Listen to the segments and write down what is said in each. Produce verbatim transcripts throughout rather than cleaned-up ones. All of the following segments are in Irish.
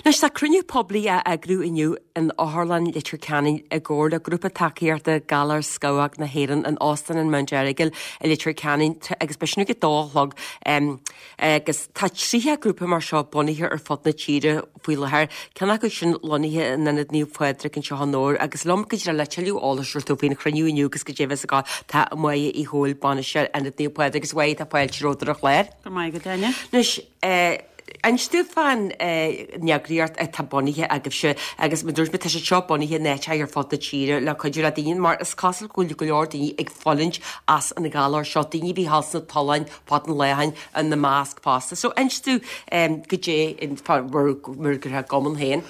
Anois tá cruinniú poiblí á eagrú inniu in Otharlann Leitir Ceanainn i gcomhar le grúpa tacaíochta Galar Scamhóg na hÉireann in Óstán an Mount Errigal i Leitir Ceanainn agus beidh sin ag a dó a chlog agus tá tríocha grúpa mar seo bunaithe ar fud na tíre faoi láthair, ceann acu sin lonnaithe in Ionad Naomh Pádraig anseo i nDobhar agus liom go dtí le tuilleadh eolais a thabhairt faoin chruinniú inniu agus goidé a bheas ag tá Máire Uí Chomhaill bainisteoir Ionad Naomh Pádraig agus Máire tá fáilte romhat ar an chlár. Go maith go Áine. Anois Inis dúinn fán eagraíocht atá bunaithe agaibhse agus mar dúirt mé tá sé seo bunaithe in áiteacha ar fud na tíre le cuidiú le daoine mar is cosúil go bhfuil go leor daoine ag fulaingt as an ghalar seo, daoine a bhí thall sna tolláin fad an laethain ina measc fosta. So inis dúinn goidé mar gur a gcumann féin.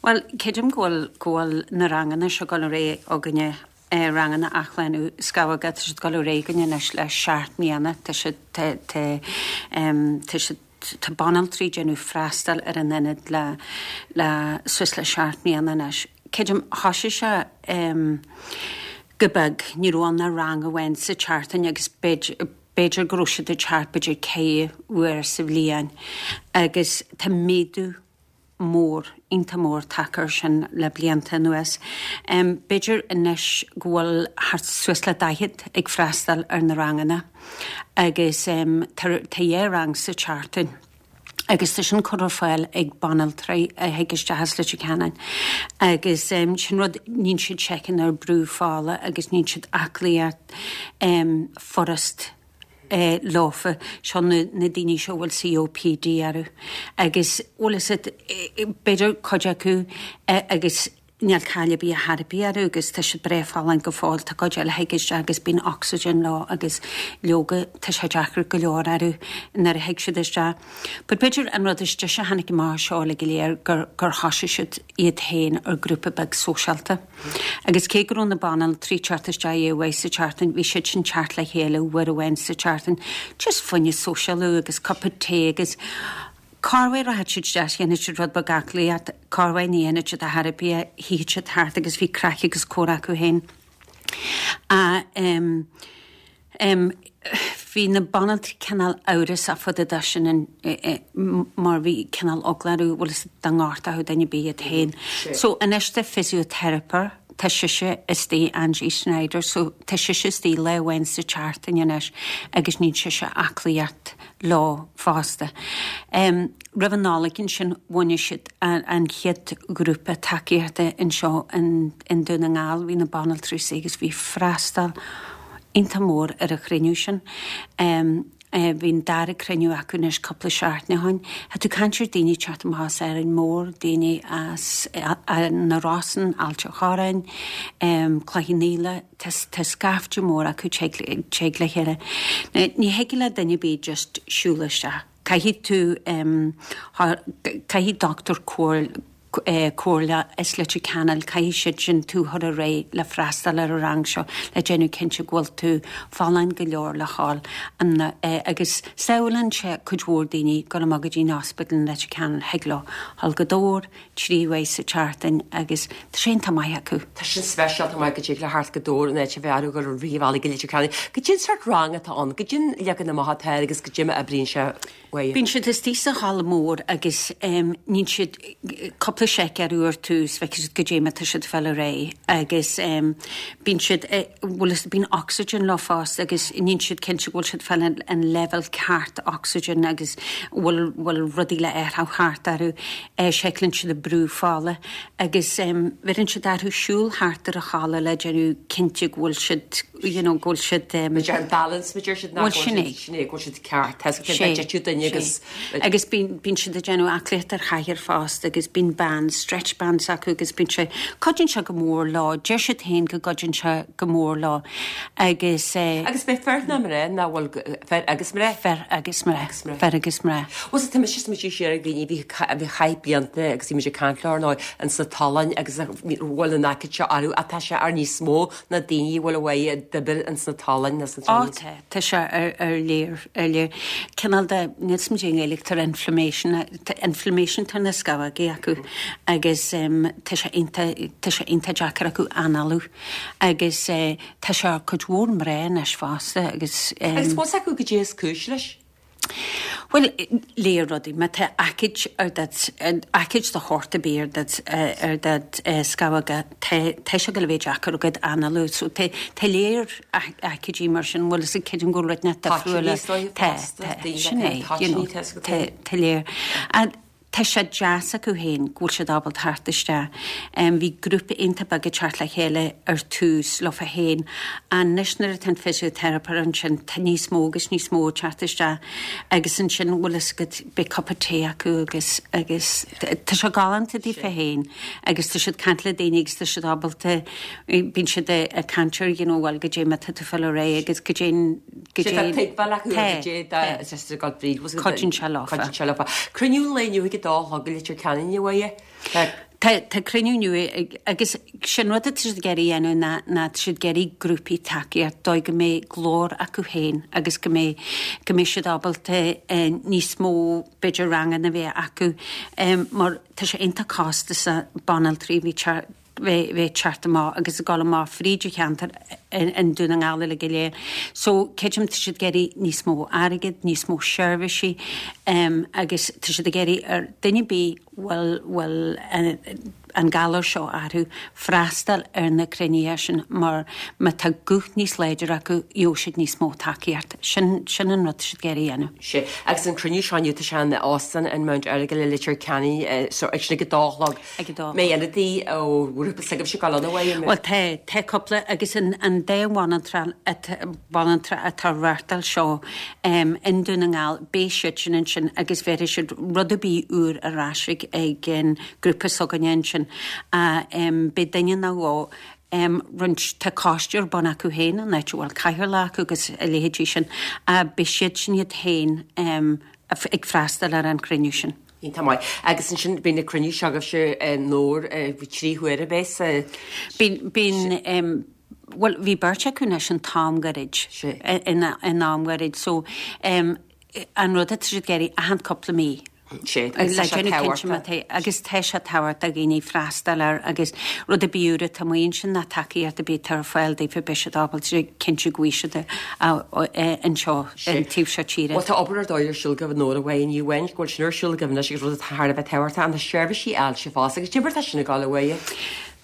Well, creidim go bhfuil go bhfuil na ranganna seo ag dul ar aghaidh againne eh, ranganna athshlánú scamhóga tá siad ag dul ar aghaidh againne anois le seacht mbliana tá siad tá tá tá siad tá banaltraí déanamh freastal ar an ionad le le suas le seacht mbliana anois. Creidim thosaigh sé um, go beag ní raibh ann ach rang amháin sa tseachtain agus b'fhéidir go raibh siad ag teacht b'fhéidir ceithre uair sa bhliain agus tá méadú mór iontach mór tagtha air sin le blianta anuas. Um, B'fhéidir anois go bhfuil thart suas le daichead ag freastal ar na ranganna agus um, tá dhá rang sa tseachtain. Agus tá sin curtha ar fáil ag banaltraí a thig isteach as Leitir Ceanainn. Agus um, sin rud níonn siad seiceáil ar brú fola agus níonn siad aclaíocht um, furast eh, leofa seo na, na daoine seo bhfuil COPD orthu. Agus bhfuil is b'fhéidir cuid acu eh, agus níl caill bí a therapy orthu agus tá siad breá folláin go fóill tá cuid eile thig isteach agus bíonn oxygen leo agus leoga tá sé deacair go leor orthu nuair a thig siad isteach. But b'fhéidir an rud is deise a tháinig amach seo le go léir gur gur thosaigh siad iad féin ar grúpa beag sóisialta. Agus cé go raibh na banaltraí teacht isteach dhá uair sa tseachtain, bhí siad sin teacht le chéile uair amháin sa tseachtain, just fá choinne sóisialú agus cupa tae agus corruair rachadh siad isteach dhéanadh siad rud beag aclaíocht, corruair ní dhéanadh siad a therapy shuíodh siad thart agus bhí craic agus comhrá acu féin. A um, um, bhí na banaltraí cineál amhrasach fá dtaobh de sin an, e, e, mar bhí cineál eagla orthu bhfuil is dá ngortódh duine ar bith iad féin. So anois tá physiotherapist tá sise istigh Angie Snyder, so tá sise istigh lá amháin sa tseachtain anois agus níonn sise aclaíocht leo fosta. Um, Roimh an Nollaig ansin bhunaigh siad an, an chéad grúpa tacaíochta anseo in, in Dún na nGall, bhí na banaltraí agus bhí freastal iontach mór ar an chruinniú sin. Um, Uh, bhí an dara cruinniú acu anois cúpla seachtain ó shin. Tá tú caint ar daoine teacht amach as Árainn Mhór, daoine as uh, na Rosann, Ailt an Chorráin, um, Cloich Cheann Fhaola, tá scaifte mór acu ag teacht le chéile. Ní thig le duine ar bith just siúl isteach. Caithfidh tú um, caithfidh dochtúir comhairle comhairle is Leitir Ceanainn caithfidh siad sin tú a chur ar aghaidh le freastal ar an rang seo le déanamh cinnte go bhfuil tú folláin go leor le dhul an agus sábhálann sé cuid mhór daoine go amach go dtí an ospidéal Leitir Ceanainn thig leo dhul go Dobhar trí uair sa tseachtain agus tá sé iontach maith acu. Tá sin speisialta maith go dtig le theacht go Dobhar an áit a bheith gur ríomhála go Leitir Ceanainn. Goidé an sórt rang atá ann, goidé an leagan amach atá agus goidé mar a oibríonn sé uaidh. Bíonn siad istigh sa halla mór agus um, níonn siad cúpla seic ar uair tús feicfidh siad goidé mar tá siad ag dul ar aghaidh agus um, bíonn siad bhfuil bíonn oxygen leo fosta agus níonn siad cinnte bhfuil siad fáil an, an level ceart oxygen agus bhfuil bhfuil rudaí le athrú thart orthu eh, seiceálann siad a brú fola agus um, bheireann siad orthu siúl thart ar an halla le déanamh cinnte go bhfuil siad you know, go bhfuil siad um, an balance me siad Bhfuil sin é. sin é go bhfuil siad ceart Sé duine agus agus bíonn bíonn siad ag déanamh aclaíocht ar chathaoir fosta agus bíonn band stretch bands acu agus bíonn sé cuidíonn sé go mór leo deir siad féin go gcuidíonn sé go mór leo agus eh, agus bé fer na mé na bhfuil fer agus mé fer agus mé fer agus mé. Was tá mis mu sé ag daoine bhí bhí chaith blianta agus bhí caint nó an sa tolláin agus bhfuil an aice seo orthu atá sé ar níos mó na daoine bhfuil bhfuil dibir an sna tolláin na sna Á tá tá sé ar ar léir ar léir cineál de níl smid éidir inflammation inflammation tá na scamhógaí acu agus um, tá sé iontach tá sé iontach deacair acu análú agus uh, tá sé ar cuid mhór mná anois fosta agus um, Agus bhfuil acu goidé is cúis leis? Bhuel, léir rudaí, má tá aicíd ar dat aicíd de shórt ar bith ar dat ar dat scamhóga, tá sé go bheith deacair agat análú, so tá tá léir aicídí mar sin, bhfuil fhios a'd creidim go bhfuil rud inteacht difriúil tá tá sin é, you know, tá tá léir. Tá sé deas acu féin go bhfuil siad ábalta theacht isteach. Bhí grúpa iontach beag ag teacht le chéile ar tús leofa féin. Anois nuair atá an physiotherapist ansin tá níos mó agus níos mó ag teacht isteach agus ansin bhfuil fhios agat beidh cupa tae acu agus agus tá sé galánta daofa féin agus tá siad caint le daoine agus tá siad ábalta bíonn siad ag caint ar you know bhuel goidé mar tá tú fáil ar aghaidh agus goidé goidé tuigbheáil acu goidé Cuidíonn sé leofa. Cuidíonn sé leofa. Cruinniú lae inniu ag a dó a chlog i Leitir Ceanainn, a Mháire. Tá tá cruinniú inniu ag agus sin rud atá siad ag iarraidh a dhéanamh ná ná tá siad ag iarraidh grúpaí tacaíocht dóigh go mbeidh glór acu féin agus go mbeidh go mbeidh siad ábalta níos mó b'fhéidir ranganna a bheith acu mar tá sé iontach costasach banaltraí a bhí bheith bheith teacht amach agus ag dul amach fríd an cheantar in Dún na nGall uilig go léir. So creidim tá siad ag iarraidh níos mó airgid, níos mó seirbhísí um, agus tá siad ag iarraidh ar duine ar bith bhfuil bhfuil an galar seo orthu freastal ar na cruinnithe sin mar má tá guth níos láidir acu gheobhaidh siad níos mó tacaíocht. Sin sin an rud siad ag iarraidh a dhéanamh. Sé agus an cruinniú seo inniu tá sé in Óstán an Mount Errigal i Leitir Ceanainn so ag sin ag a dó a chlog. Ag a dó. Mbeidh ionadaí ó ghrúpa s'agaibhse ag dul ann a Mháire? Bhuel tá tá cúpla agus an an dá bhanaltra banaltra atá reáchtáil seo um, in Dún na nGall beidh siad sin ansin agus bhéarfaidh siad rud ar bith úr ar ais ag ag an grúpa s'againne ansin a um, beidh duine nó dhó um, roinnt tá coiste ar bun acu féin an áit a bhfuil cathaoirleach acu agus a leithéidí sin a beidh siad sin iad féin um, ag freastal ar an chruinniú sin. Iontach maith. Agus ansin bíonn na cruinniú seo agaibhse nór trí huaire bheas? Bíonn bíonn um, well bhí beirt acu anois an t-am gairid in in am gairid so um, an rud atá siad ag iarraidh achan cúpla mí. Sé agus le tá sé déanamh cinnte má tábhachtach. tá agus tá sé tábhachtach do dhaoine freastal air agus rud ar bith úr atá amuigh ansin ná tacaíocht ar bith atá ar fáil daofa beidh siad ábalta cinntiú go bhfaighidh siad anseo an taobh seo tíre. Bhuel tá obair ar dóigh ar siúl agaibh Nóra Mhaigh ní amháin go bhfuil sin ar siúl agaibh anois agus rud atá thar a bheith tábhachtach an na seirbhísí ailse fosta agus cad é mar tá sin ag dul a Mháire.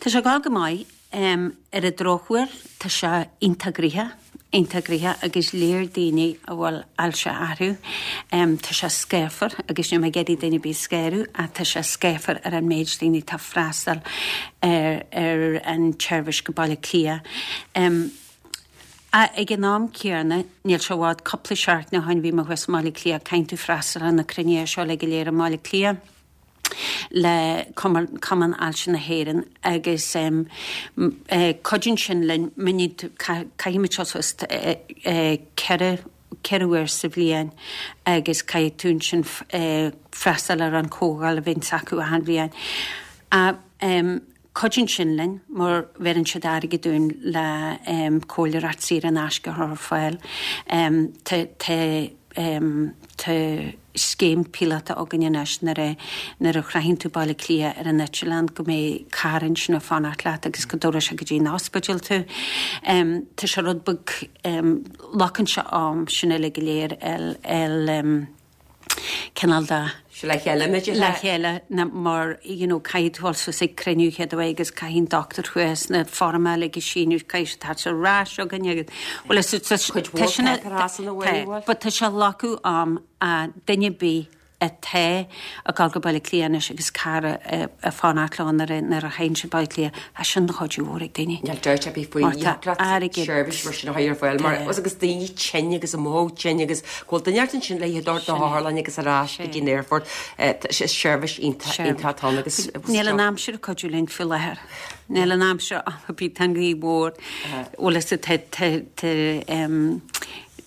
Tá sé ag dul go maith um, ar an drochuair tá sé iontach gnoitheach iontach gnoitheach agus léir daoine a bhfuil ailse orthu. Um, tá sé scáfar agus níl mé ag iarraidh duine ar bith a scanrú ach tá sé scáfar ar an méid daoine tá freastal ar, ar an tseirbhís go Baile Átha Cliath. Um, a ag an am céanna níl sé i bhfad cúpla seachtain ó shin bhí mé thuas i mBaile Átha Cliath caithfidh tú freastal ar na cruinnithe seo le go léir i mBaile Átha Cliath le Cumann Ailse na hÉireann agus um, uh, cuidíonn sin linn caithfimid seo suas ceithre ceithre huair sa bhliain agus caithfidh tú sin uh, freastal ar an chomhdháil a bhíonn acu achan bhliain. Uh, um, Cuidíonn sin linn mar bheireann siad airgead dúinn le um, comhairleoireacht saor in aisce a chur ar fáil. Um, tá um, tá scéim píolótach againn anois nuair a nuair a shroicheann tú Baile Átha Cliath ar an eitleán go mbeidh carr ansin ag fanacht leat agus go dtabharfaidh sé go dtí an ospidéal tú. Um, tá sé rud beag um, glacann sé am sin uilig go léir el, el, um, cineál de Se le chéile le chéile na mar you know, caithfidh tú suas ag cruinniú chéad agus caithfidh an doctor thuas na foirmeacha a shíniú caithfidh tá ar ais againn agus well Cuid mhór paperás ina bhfuil, bhfuil? But tá sé glacadh am a duine ar bith atá ag dul go Baile Átha Cliath anois agus carr ag fanacht leo nuair a nuair a théann siad Baile Átha Cliath a sin chuid mhór ag daoine. Níl dabht ar bith faoi Mar tá airgead. seirbhís mar sin a chur ar fáil mar os agus daoine tinn agus a mó tinn agus go bhfuil duine ansin le dul na hotharlainne agus ar ais go dtí an airport seirbhís iontach ann agus Níl an aimsir ag cuidiú linn faoi láthair. Níl an aimsir bí tan gaoth mhór bhfuil is tá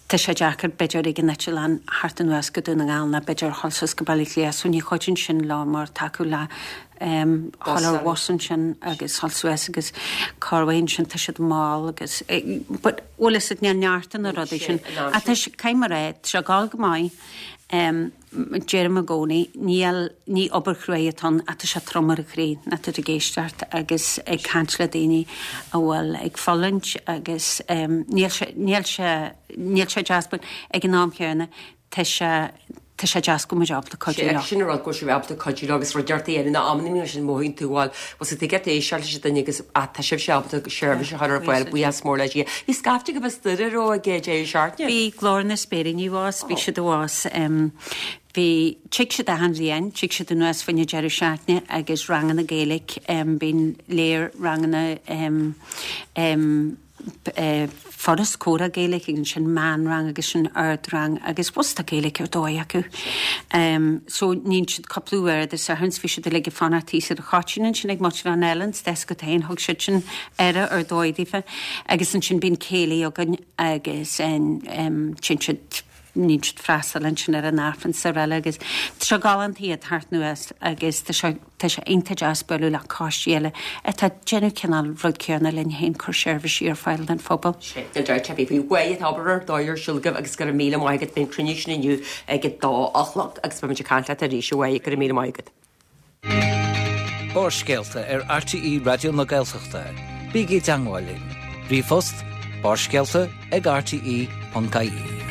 Tá sé deacair b'fhéidir ag an eitleán thart anuas go Dún na nGall ná b'fhéidir dhul suas go Baile Átha Cliath, so ní chuidíonn sin lá mar tacú le um, dhul ar bhus ansin agus dhul suas agus carhain sin tá siad mall agus but bhfuil is níl neart na rudaí sin. A tá sé caithfidh mé rá sé gáil go maith um, deirim i gcónaí níl ní obair chrua atá ann ach tá sé trom ar an chroí ná tú ag éisteacht agus ag caint le daoine a bhfuil ag fulaingt agus um, níl sé níl sé níl sé deas but ag an am chéanna tá sé tá sé deas go bhfuil muid ábalta cuidiú leo. Sin an rud go bhfuil sibh ábalta cuidiú leo agus rud deartha a dhéanamh ná amanna mar sin mothaíonn tú bhuel bhfuil tú ag éisteacht leis an duine agus ah tá sibhse ábalta seirbhís a chur ar fáil buíochas mór le Dia. Bhí scaifte agaibh as Doire raibh ag deireadh seachtaine? Bhí Glór na Spéiríní abhus, bhí siad abhus bhí tig siad achan bhliain, tig siad anuas fá choinne deireadh seachtaine agus ranganna Gaeilge, bíonn léir ranganna Foras Comhrá Gaeilge agus ansin meánrang agus sin ardrang agus bhus tá Gaeilge ar dóigh acu. Um, so níonn siad cúpla uair Dé Sathairn bhí siad uilig ag fanacht thíos ar an Choitín ansin ag muintir an Ellen, deas go féin thug siad sin aire ar dóigh daofa agus ansin bíonn céilí againn agus um, téann siad níonn siad freastal ansin ar an Aifreann is araile agus tá sé galánta iad thart anuas agus tá sé tá sé iontach deas bualadh le coistí eile atá ag déanamh cineál rud céanna linn féin cur seirbhísí ar fáil don phobal. Sé an deir bhí faoi mhaith atá obair ar dóigh ar siúl agaibh agus go raibh míle maith agat faoin cruinniú sin inniu ag a dó a chlog agus beimid ag caint leat arís a Mháire go raibh míle maith agat. Barrscéalta ar RTÉ Raidió na Gaeltachta. Bígí i dteagmháil linn. Ríomhphost barrscéalta ag rte.ie.